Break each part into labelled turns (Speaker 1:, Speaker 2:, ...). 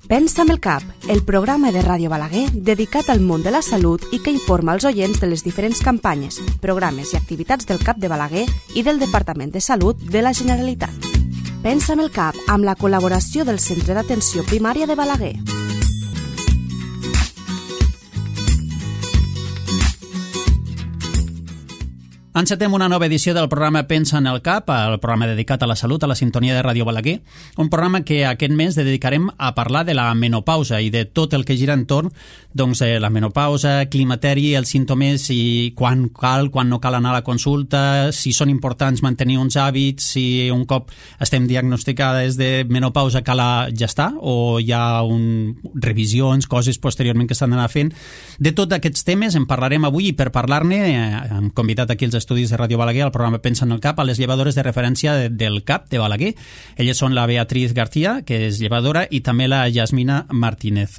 Speaker 1: Pensa amb el cap, el programa de Ràdio Balaguer dedicat al món de la salut i que informa els oients de les diferents campanyes, programes i activitats del CAP de Balaguer i del Departament de Salut de la Generalitat. Pensa amb el cap, amb la col·laboració del Centre d'Atenció Primària de Balaguer.
Speaker 2: Encetem una nova edició del programa Pensa en el Cap, el programa dedicat a la salut a la sintonia de Ràdio Balaguer, un programa que aquest mes dedicarem a parlar de la menopausa i de tot el que gira entorn de la menopausa, climateri, els símptomes i quan cal, quan no cal anar a la consulta, si són importants mantenir uns hàbits, si un cop estem diagnosticades de menopausa cal gestar o hi ha revisions, coses posteriorment que s'han d'anar fent. De tots aquests temes en parlarem avui i per parlar-ne hem convidat aquí els estudis de Ràdio Balaguer, al programa Pensa en el Cap, a les llevadores de referència del CAP de Balaguer. Elles són la Beatriz García, que és llevadora, i també la Yasmina Martínez.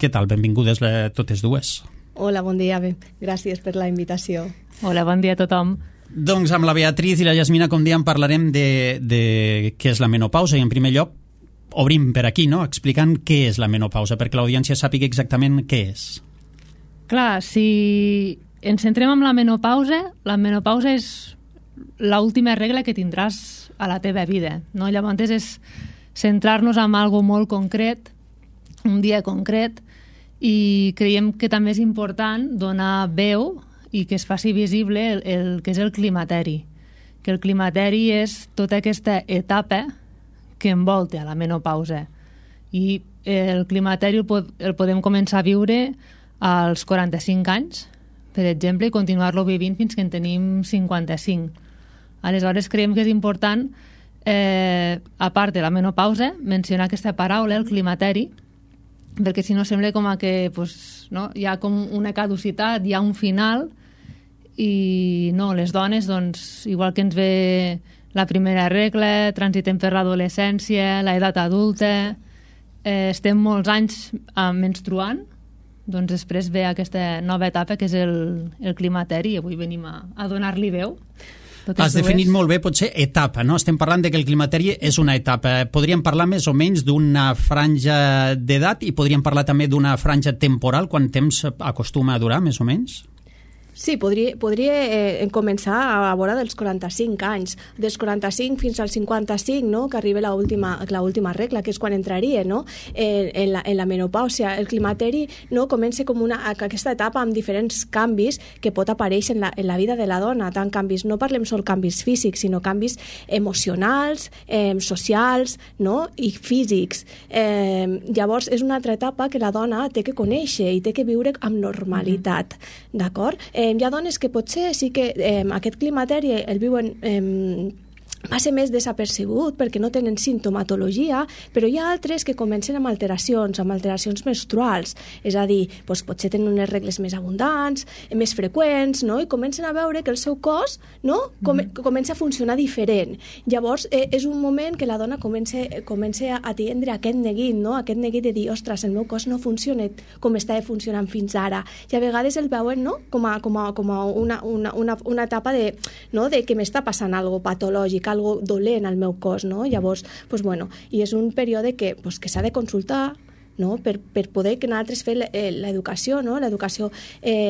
Speaker 2: Què tal? Benvingudes totes dues.
Speaker 3: Hola, bon dia. Gràcies per la invitació.
Speaker 4: Hola, bon dia a tothom.
Speaker 2: Doncs amb la Beatriz i la Yasmina, com dèiem, parlarem de què és la menopausa i en primer lloc obrim per aquí, no?, explicant què és la menopausa, perquè l'audiència sàpiga exactament què és.
Speaker 4: Clar, si ens centrem en la menopausa és l'última regla que tindràs a la teva vida, no? Llavors és centrar-nos en algo molt concret, un dia concret, i creiem que també és important donar veu i que es faci visible el que és el climateri, que el climateri és tota aquesta etapa que envolta a la menopausa, i el climateri el podem començar a viure als 45 anys, per exemple, i continuar-lo vivint fins que en tenim 55. Aleshores, creiem que és important, a part de la menopausa, mencionar aquesta paraula, el climateri, perquè si no sembla com que hi ha com una caducitat, hi ha un final, i no, les dones, igual que ens ve la primera regla, transitem per l'adolescència, l'edat adulta, estem molts anys menstruant, doncs després ve aquesta nova etapa que és el climateri, i avui venim a donar-li veu.
Speaker 2: Has definit molt bé, potser, etapa, no? Estem parlant de que el climateri és una etapa. Podríem parlar més o menys d'una franja d'edat i podríem parlar també d'una franja temporal, quant temps acostuma a durar, més o menys?
Speaker 3: Sí, podria començar a vora dels 45 anys, dels 45 fins als 55, no?, que arriba l'última regla, que és quan entraria, no?, en la menopàusia. El climateri, no?, comença com aquesta etapa amb diferents canvis que pot aparèixer en la vida de la dona, tant canvis, no parlem sol canvis físics, sinó canvis emocionals, socials, no?, i físics. Llavors, és una altra etapa que la dona té que conèixer i té que viure amb normalitat, d'acord? Hi ha dones que potser sí que aquest climateri el viuen passa més desapercebut perquè no tenen sintomatologia, però hi ha altres que comencen amb alteracions menstruals, és a dir, potser tenen unes regles més abundants, més freqüents, no?, i comencen a veure que el seu cos, no?, comença a funcionar diferent. Llavors, és un moment que la dona comença a tindre aquest neguit, no?, aquest neguit de dir, ostres, el meu cos no funciona com estava funcionant fins ara, i a vegades el veuen, no?, com a una etapa de que m'està passant algo patològic, algo dolent al meu cos, no? Llavors, i és un període que s'ha de consultar, no?, per poder que nosaltres fer l'educació, no?, l'educació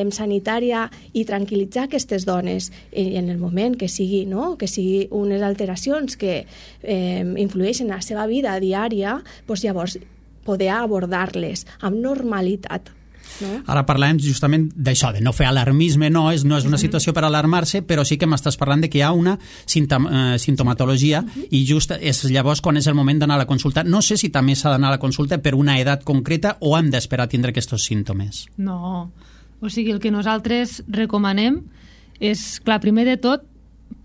Speaker 3: sanitària i tranquil·litzar aquestes dones i en el moment que sigui, no?, que sigui unes alteracions que influeixen en la seva vida diària, llavors poder abordar-les amb normalitat. No?
Speaker 2: Ara parlem justament d'això, de no fer alarmisme, no és una situació per alarmar-se, però sí que m'estàs parlant de que hi ha una sintomatologia i just és llavors quan és el moment d'anar a la consulta. No sé si també s'ha d'anar a la consulta per una edat concreta o hem d'esperar a tindre aquests símptomes.
Speaker 4: No, o sigui, el que nosaltres recomanem és, clar, primer de tot,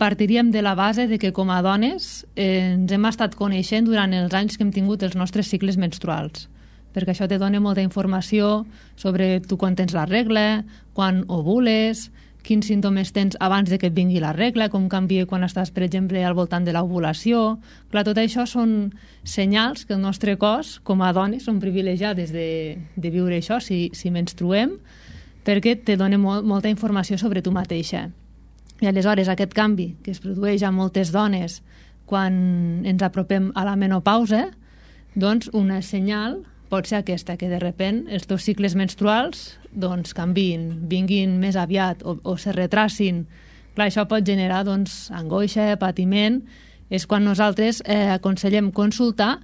Speaker 4: partiríem de la base de que com a dones ens hem estat coneixent durant els anys que hem tingut els nostres cicles menstruals, perquè això te dona molta informació sobre tu quan tens la regla, quan ovules, quins símptomes tens abans de que et vingui la regla, com canvia quan estàs, per exemple, al voltant de l'ovulació. Clar, tot això són senyals que el nostre cos, com a dones, som privilegiades de viure això, si menstruem, perquè te dona molta informació sobre tu mateixa. I aleshores aquest canvi que es produeix a moltes dones quan ens apropem a la menopausa, doncs una senyal pot ser aquesta, que de repent els teus cicles menstruals doncs canviïn, vinguin més aviat o se retracin. Clar, això pot generar doncs, angoixa, patiment. És quan nosaltres aconsellem consultar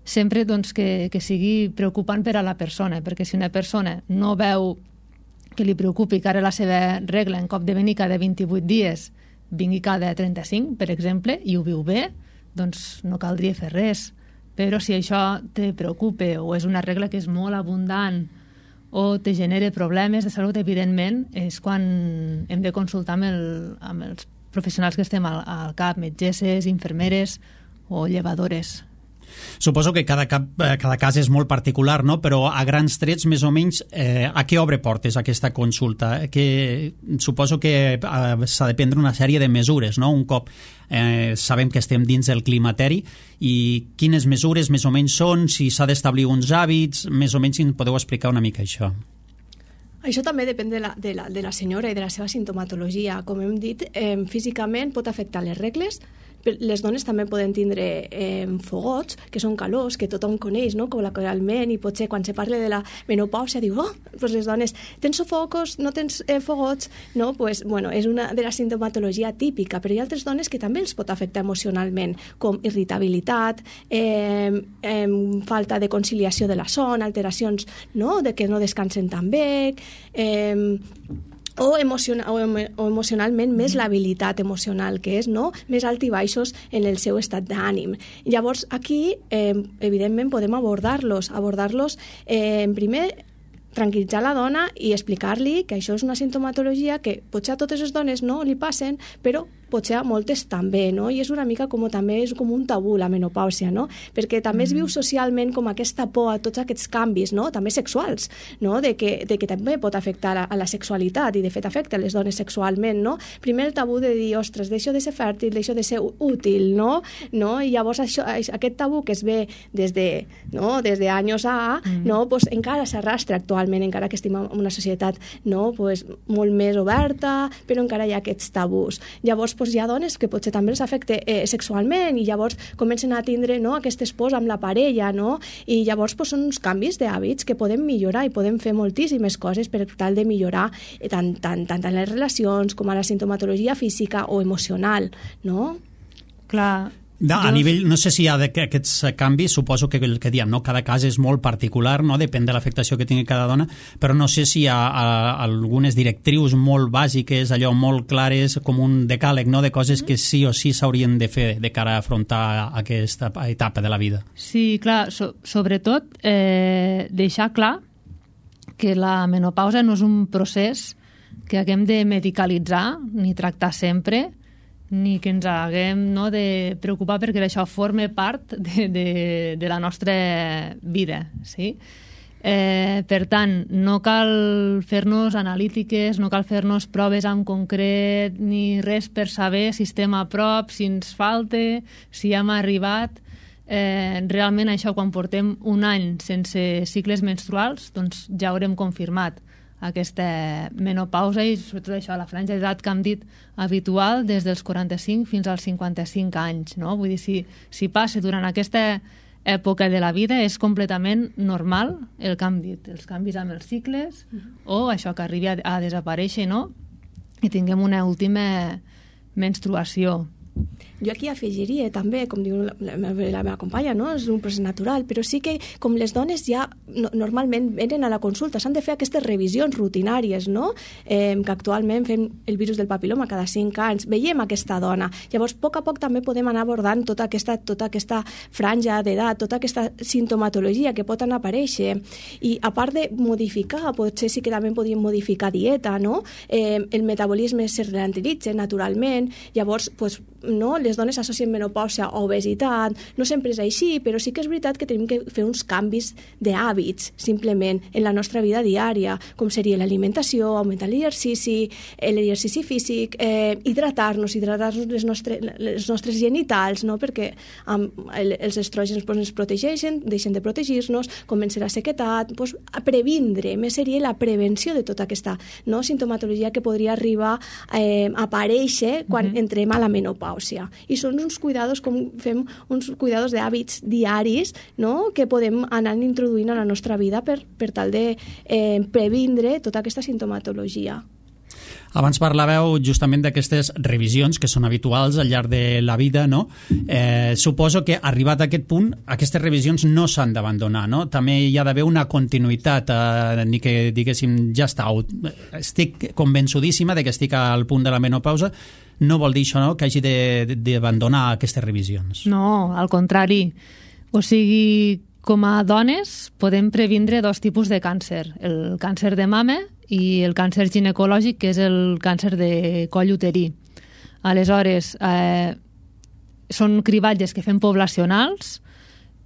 Speaker 4: sempre doncs, que sigui preocupant per a la persona, perquè si una persona no veu que li preocupi que ara la seva regla en cop de venir cada 28 dies vingui cada 35, per exemple, i ho viu bé, doncs no caldria fer res. Però si això te preocupa o és una regla que és molt abundant o te genera problemes de salut, evidentment, és quan hem de consultar amb els professionals que estem al CAP, metgesses, infermeres o llevadores.
Speaker 2: Suposo que cada cas és molt particular, no? Però a grans trets, més o menys, a què obre portes aquesta consulta? Suposo que s'ha de prendre una sèrie de mesures, no? Un cop sabem que estem dins del climateri, i quines mesures més o menys són, si s'ha d'establir uns hàbits, més o menys si podeu explicar una mica això.
Speaker 3: Això també depèn de la senyora i de la seva sintomatologia. Com hem dit, físicament pot afectar les regles. Les dones també poden tindre fogots, que són calors, que tothom coneix, no? Col·loquialment, i potser quan se parla de la menopàusia diu, pues les dones, tens sofocos, no tens fogots, no? Pues, bueno, és una de la sintomatologia típica, però hi ha altres dones que també els pot afectar emocionalment, com irritabilitat, falta de conciliació de la son, alteracions, no? De que no descansen tan bé, o emocionalment més l'habilitat emocional, que és, no?, més alt i baixos en el seu estat d'ànim. Llavors, aquí, evidentment, podem abordar-los. Primer, tranquil·litzar la dona i explicar-li que això és una sintomatologia que potser a totes les dones no li passen, però potser a moltes també, no? I és una mica també és com un tabú la menopàusia, no? Perquè també es viu socialment com aquesta por a tots aquests canvis, no? També sexuals, no? De que també pot afectar a la sexualitat, i de fet afecta les dones sexualment, no? Primer el tabú de dir, ostres, deixo de ser fèrtil, deixo de ser útil, no? I llavors aquest tabú que es ve des de anys a, no? Pues encara s'arrastra actualment, encara que estem en una societat, no? Pues molt més oberta, però encara hi ha aquests tabús. Llavors, hi ha dones que potser també els afecta sexualment, i llavors comencen a tindre, no, aquestes pors amb la parella, no? I llavors són uns canvis d'hàbits que podem millorar, i podem fer moltíssimes coses per tal de millorar tant les relacions com a la sintomatologia física o emocional, no?
Speaker 4: Clar.
Speaker 2: A nivell, no sé si hi ha aquests canvis, suposo que el que diem, no? Cada cas és molt particular, no? Depèn de l'afectació que tingui cada dona, però no sé si hi ha algunes directrius molt bàsiques, allò molt clares, com un decàleg, no? De coses que sí o sí s'haurien de fer de cara a afrontar aquesta etapa de la vida.
Speaker 4: Sí, clar, sobretot deixar clar que la menopausa no és un procés que haguem de medicalitzar ni tractar sempre, ni que ens haguem, no, de preocupar perquè això forma part de la nostra vida, sí? Per tant, no cal fer-nos analítiques, no cal fer-nos proves en concret ni res per saber si estem a prop, si ens falta, si hem arribat. Realment això, quan portem un any sense cicles menstruals, doncs ja haurem confirmat aquesta menopausa, i sobretot això, la franja d'edat que hem dit habitual des dels 45 fins als 55 anys, no? Vull dir, si passa durant aquesta època de la vida, és completament normal el que hem dit, els canvis amb els cicles, o això que arribi a desaparèixer, no? I tinguem una última menstruació.
Speaker 3: Jo aquí afegiria també, com diu la meva companya, no? És un procés natural, però sí que com les dones ja normalment venen a la consulta, s'han de fer aquestes revisions rutinàries, no? Que actualment fem el virus del papiloma cada 5 anys, veiem aquesta dona. Llavors, a poc també podem anar abordant tota aquesta franja d'edat, tota aquesta sintomatologia que pot anar a aparèixer. I a part de modificar, potser sí que també podríem modificar dieta, no? El metabolisme se ralentitza naturalment, llavors, no, les dones associen menopàusia a obesitat, no sempre és així, però sí que és veritat que tenim que fer uns canvis d'hàbits, simplement, en la nostra vida diària, com seria l'alimentació, augmentar l'exercici físic, hidratar-nos les nostres genitals, no? Perquè els estrògens ens protegeixen, deixen de protegir-nos, comença la sequedat, a previndre, més seria la prevenció de tota aquesta, no, sintomatologia que podria arribar a aparèixer quan entrem a la menopàusia. i són uns cuidados, com fem uns cuidados d'hàbits diaris, no?, que podem anar introduint a la nostra vida per tal de previndre tota aquesta sintomatologia.
Speaker 2: Abans parlàveu justament d'aquestes revisions que són habituals al llarg de la vida, no? Suposo que arribat a aquest punt, aquestes revisions no s'han d'abandonar, no? També hi ha d'haver una continuïtat, ni que diguéssim, ja està, estic convençudíssima de que estic al punt de la menopausa, no vol dir això, no?, que hagi d'abandonar aquestes revisions.
Speaker 4: No, al contrari. O sigui, com a dones podem previndre dos tipus de càncer, el càncer de mama i el càncer ginecològic, que és el càncer de coll uterí. Aleshores, són cribatges que fem poblacionals.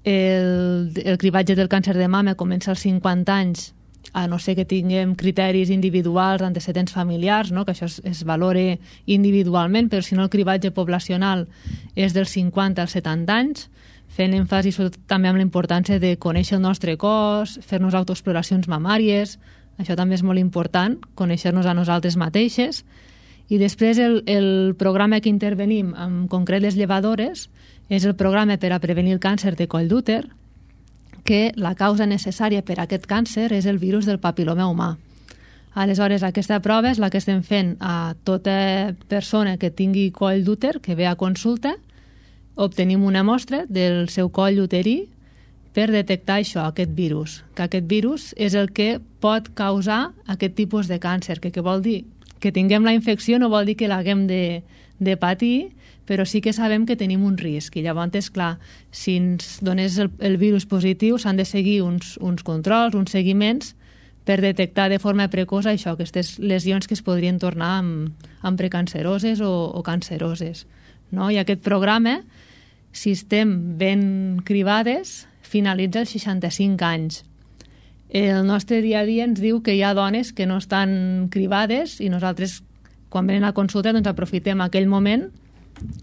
Speaker 4: El cribatge del càncer de mama comença als 50 anys, a no ser que tinguem criteris individuals, antecedents familiars, no?, que això es valore individualment, però si no el cribatge poblacional és dels 50 als 70 anys, fent èmfasi també amb la importància de conèixer el nostre cos, fer-nos autoexploracions mamàries, això també és molt important, conèixer-nos a nosaltres mateixes. I després el programa que intervenim, en concret les llevadores, és el programa per a prevenir el càncer de coll d'úter, que la causa necessària per a aquest càncer és el virus del papil·loma humà. Aleshores, aquesta prova és la que estem fent a tota persona que tingui coll d'úter, que ve a consulta. Obtenim una mostra del seu coll uterí per detectar això, aquest virus. Que aquest virus és el que pot causar aquest tipus de càncer, que vol dir que tinguem la infecció no vol dir que l'haguem de patir, però sí que sabem que tenim un risc. I llavors, clar, si ens donés el virus positiu, s'han de seguir uns controls, uns seguiments, per detectar de forma precoç això, aquestes lesions que es podrien tornar amb precanceroses o canceroses. No? I aquest programa, si estem ben cribades, finalitza als 65 anys. El nostre dia a dia ens diu que hi ha dones que no estan cribades i nosaltres, quan venen a consulta, doncs aprofitem aquell moment,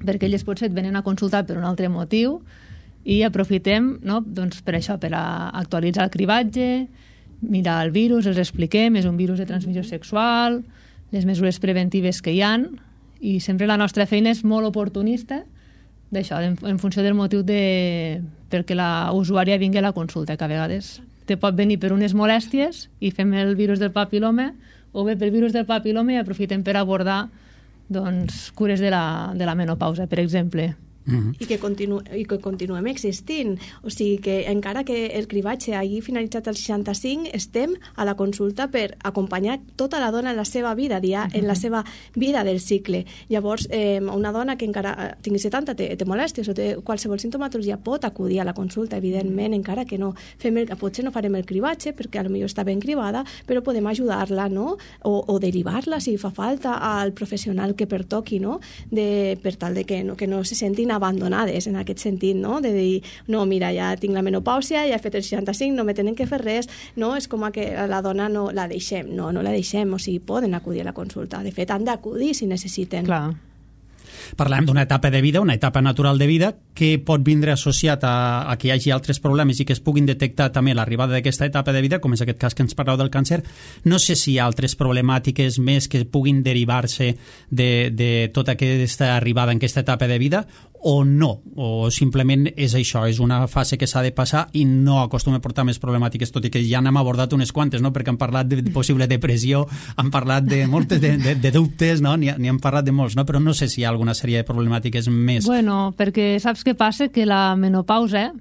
Speaker 4: perquè elles potser et venen a consultar per un altre motiu, i aprofitem, no?, doncs per això, per actualitzar el cribatge, mirar el virus, els expliquem, és un virus de transmissió sexual, les mesures preventives que hi han, i sempre la nostra feina és molt oportunista d'això, en funció del motiu perquè la usuària vingui a la consulta, que a vegades te pot venir per unes molèsties i fem el virus del papil·loma, o bé pel virus del papil·loma i aprofitem per abordar doncs, cures de la menopausa, per exemple.
Speaker 3: I que continuem existint. O sigui que encara que el cribatge hagi finalitzat als 65, estem a la consulta per acompanyar tota la dona en la seva vida, en la seva vida del cicle. Llavors, una dona que encara tingui 70, té molèsties o té qualsevol sintomatologia, pot acudir a la consulta, evidentment, encara que no potser no farem el cribatge, perquè potser està ben cribada, però podem ajudar-la, no?, o derivar-la, si fa falta, al professional que pertoqui, no?, per tal de que no se sentin abandonades en aquest sentit, no?, de dir, no, mira, ja tinc la menopàusia, ja he fet el 65, no me tenen que fer res, no, és com que la dona no la deixem, no la deixem, o sigui, poden acudir a la consulta, de fet han d'acudir si necessiten.
Speaker 4: Clar.
Speaker 2: Parlem d'una etapa de vida, una etapa natural de vida, que pot vindre associat a que hi hagi altres problemes i que es puguin detectar també l'arribada d'aquesta etapa de vida, com és aquest cas que ens parleu del càncer. No sé si hi ha altres problemàtiques més que puguin derivar-se de tota aquesta arribada en aquesta etapa de vida, o no, o simplement és això, és una fase que s'ha de passar i no acostuma a portar més problemàtiques, tot i que ja n'hem abordat unes quantes, no?, perquè han parlat de possible depressió, han parlat de moltes de dubtes, no?, n'hi han parlat de molts, no?, però no sé si hi ha alguna sèrie de problemàtiques més.
Speaker 4: Bueno, perquè saps què passa? Que la menopausa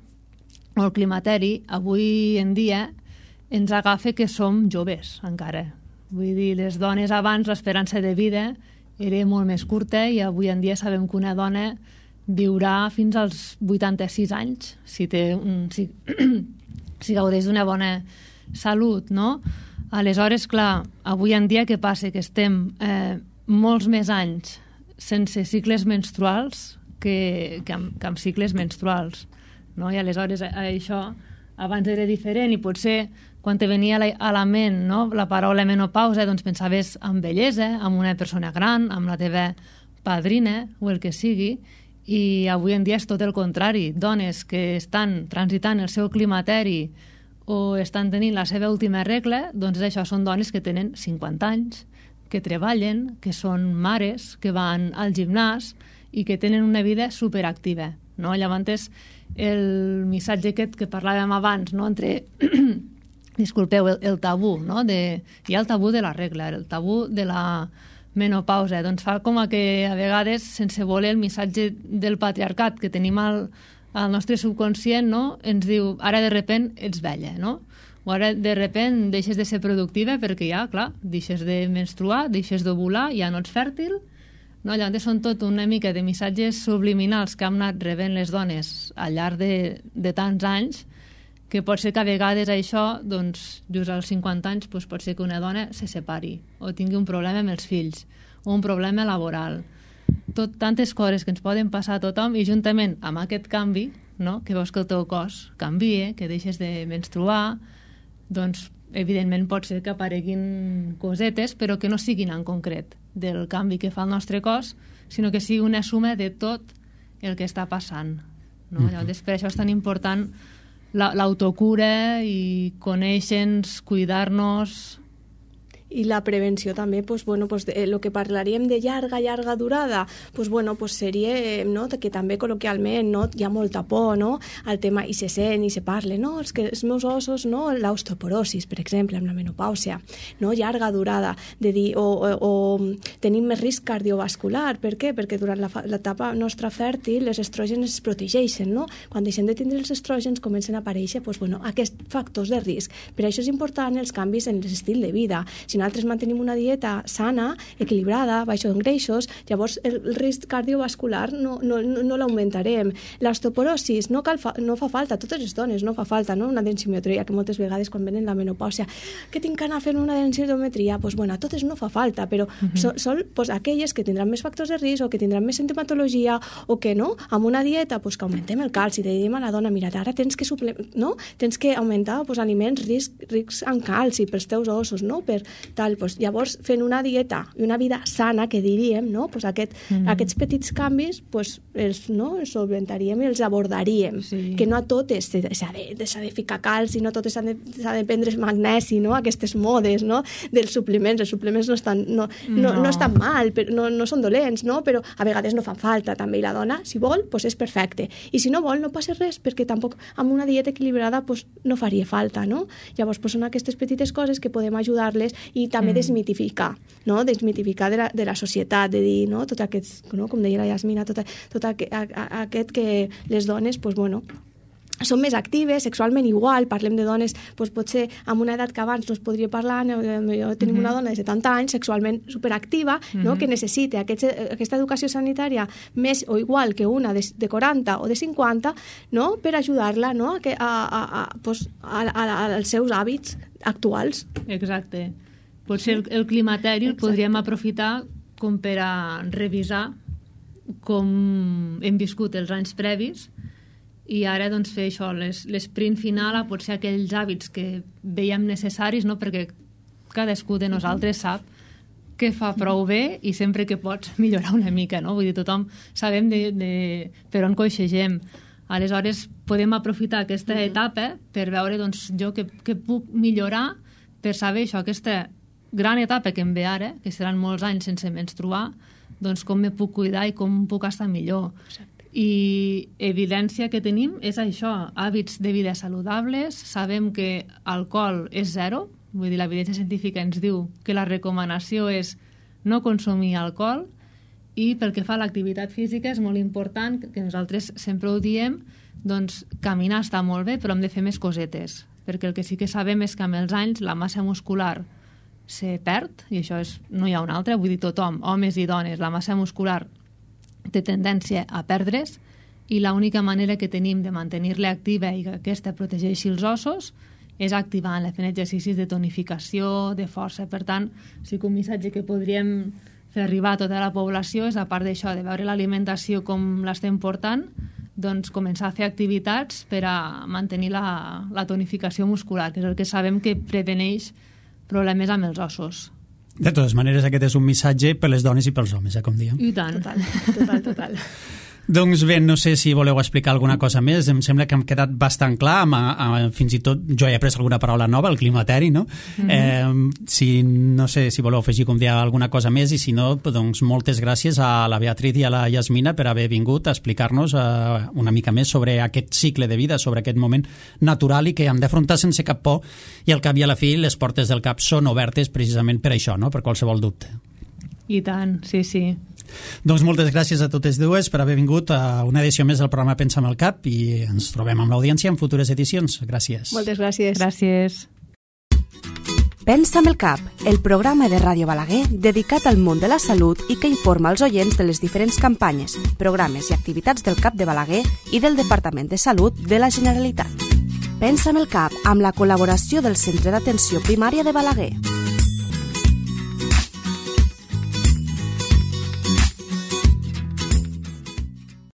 Speaker 4: o el climateri avui en dia ens agafa que som joves encara. Vull dir, les dones abans l'esperança de vida era molt més curta i avui en dia sabem que una dona viurà fins als 86 anys si gaudeix d'una bona salut, no? Aleshores, clar, avui en dia què passa? Que estem molts més anys sense cicles menstruals que amb cicles menstruals, no? I aleshores això abans era diferent i potser quan te venia a la ment, no?, la paraula menopausa, doncs pensaves en bellesa, en una persona gran, amb la teva padrina o el que sigui, i avui en dia és tot el contrari. Dones que estan transitant el seu climateri o estan tenint la seva última regla, doncs això són dones que tenen 50 anys, que treballen, que són mares, que van al gimnàs i que tenen una vida superactiva, no? Llavors, el missatge aquest que parlàvem abans, no? Entre disculpeu, el tabú, no? Hi ha el tabú de la regla, el tabú de la menopausa, doncs fa com que a vegades, sense voler, el missatge del patriarcat que tenim al nostre subconscient, no? Ens diu, ara de repent ets vella, no? O ara de repent deixes de ser productiva perquè ja, clar, deixes de menstruar, deixes d'ovular, ja no ets fèrtil, no? Llavors són tot una mica de missatges subliminals que hem anat rebent les dones al llarg de tants anys, que pot ser que a vegades això, doncs, just als 50 anys, doncs pot ser que una dona se separi o tingui un problema amb els fills o un problema laboral. Tantes coses que ens poden passar a tothom, i juntament amb aquest canvi, no? Que veus que el teu cos canvia, que deixes de menstruar, doncs evidentment pot ser que apareguin cosetes, però que no siguin en concret del canvi que fa el nostre cos, sinó que sigui una suma de tot el que està passant, no? Llavors, per això és tan important l'autocura i conèixer-nos, cuidar-nos.
Speaker 3: I la prevenció també, pues, bueno, pues, el que parlaríem de llarga durada, pues, bueno, pues, seria, no? Que també col·loquialment, no? Hi ha molta por, no? Al tema, i se sent i se parla, no? Els meus ossos, no? L'osteoporosis, per exemple, amb la menopàusia, no? Llarga durada, de dir, o tenim més risc cardiovascular. Per què? Perquè durant l'etapa nostra fèrtil els estrògens es protegeixen, no? Quan deixem de tindre els estrògens comencen a aparèixer, pues, bueno, aquests factors de risc. Per això és important els canvis en l'estil de vida. Si nosaltres mantenim una dieta sana, equilibrada, baixa en greixos, llavors el risc cardiovascular no l'augmentarem. L'osteoporosis no fa falta, totes les dones no fa falta, no? Una densitometria, que moltes vegades quan venen la menopàusia, que tinc que anar a fer una densitometria, pues, bueno, a totes no fa falta, però són pues, aquelles que tindran més factors de risc o que tindran més sintomatologia o que no, amb una dieta pues, que augmentem el calci, diem a la dona, mira, ara tens que no? Tens que augmentar pues, aliments rics en calci pels teus ossos, no? Per tal, pues, llavors fent una dieta i una vida sana, que diríem, no? Pues aquests petits canvis pues, els solventaríem i els abordaríem, que no a totes s'ha de ficar calci, no a totes s'ha de prendre magnesi, no? Aquestes modes, no? Dels suplements, els suplements no estan mal, no són dolents, no? Però a vegades no fan falta també, i la dona, si vol, pues és perfecte, i si no vol no passa res, perquè tampoc amb una dieta equilibrada pues, no faria falta, no? Llavors pues, són aquestes petites coses que podem ajudar-les i també desmitificar, no? Desmitificar de la societat, de dir, no? Tot aquest, no? Com deia la Yasmina, tot aquest que les dones, pues, bueno, són més actives, sexualment igual, parlem de dones, doncs potser amb una edat que abans no es podria parlar, tenim una dona de 70 anys, sexualment superactiva, no? Que necessita aquesta educació sanitària més o igual que una de 40 o de 50, no? Per ajudar-la, no? Als seus hàbits actuals.
Speaker 4: Exacte. Potser el climateri el podríem aprofitar com per a revisar com hem viscut els anys previs i ara doncs, fer això, l'esprint final a potser aquells hàbits que veiem necessaris, no? Perquè cadascú de nosaltres sap que fa prou bé i sempre que pots millorar una mica, no? Vull dir, tothom sabem per on coixegem. Aleshores, podem aprofitar aquesta etapa per veure doncs, jo què puc millorar per saber això, aquesta gran etapa que em ve ara, que seran molts anys sense menstruar, doncs com me puc cuidar i com puc estar millor. Exacte. I evidència que tenim és això, hàbits de vida saludables, sabem que alcohol és zero, vull dir, l'evidència científica ens diu que la recomanació és no consumir alcohol, i pel que fa a l'activitat física és molt important, que nosaltres sempre ho diem, doncs caminar està molt bé, però hem de fer més cosetes, perquè el que sí que sabem és que amb els anys la massa muscular se perd, i això no hi ha una altra, vull dir, tothom, homes i dones, la massa muscular té tendència a perdre's, i l'única manera que tenim de mantenir-la activa i que aquesta protegeixi els ossos és activant, fent exercicis de tonificació, de força. Per tant, sí que un missatge que podríem fer arribar a tota la població és, a part d'això, de veure l'alimentació com l'estem portant, doncs començar a fer activitats per a mantenir la tonificació muscular, que és el que sabem que preveneix problemes amb els ossos.
Speaker 2: De totes maneres, aquest és un missatge per les dones i pels homes, com diem.
Speaker 4: I tant.
Speaker 3: Total.
Speaker 2: Doncs bé, no sé si voleu explicar alguna cosa més. Em sembla que hem quedat bastant clar. Fins i tot jo he après alguna paraula nova, el climateri, no? No sé si voleu afegir, com deia, alguna cosa més, i si no, doncs moltes gràcies a la Beatriz i a la Yasmina per haver vingut a explicar-nos una mica més sobre aquest cicle de vida, sobre aquest moment natural i que hem d'afrontar sense cap por, i al cap i a la fi les portes del CAP són obertes precisament per això, no? Per qualsevol dubte.
Speaker 4: I tant, sí, sí.
Speaker 2: Doncs moltes gràcies a totes dues per haver vingut a una edició més del programa Pensa amb el CAP, i ens trobem amb l'audiència en futures edicions. Gràcies.
Speaker 3: Moltes gràcies.
Speaker 4: Gràcies.
Speaker 1: Pensa amb el CAP, el programa de Ràdio Balaguer dedicat al món de la salut i que informa els oients de les diferents campanyes, programes i activitats del CAP de Balaguer i del Departament de Salut de la Generalitat. Pensa amb el CAP, amb la col·laboració del Centre d'Atenció Primària de Balaguer.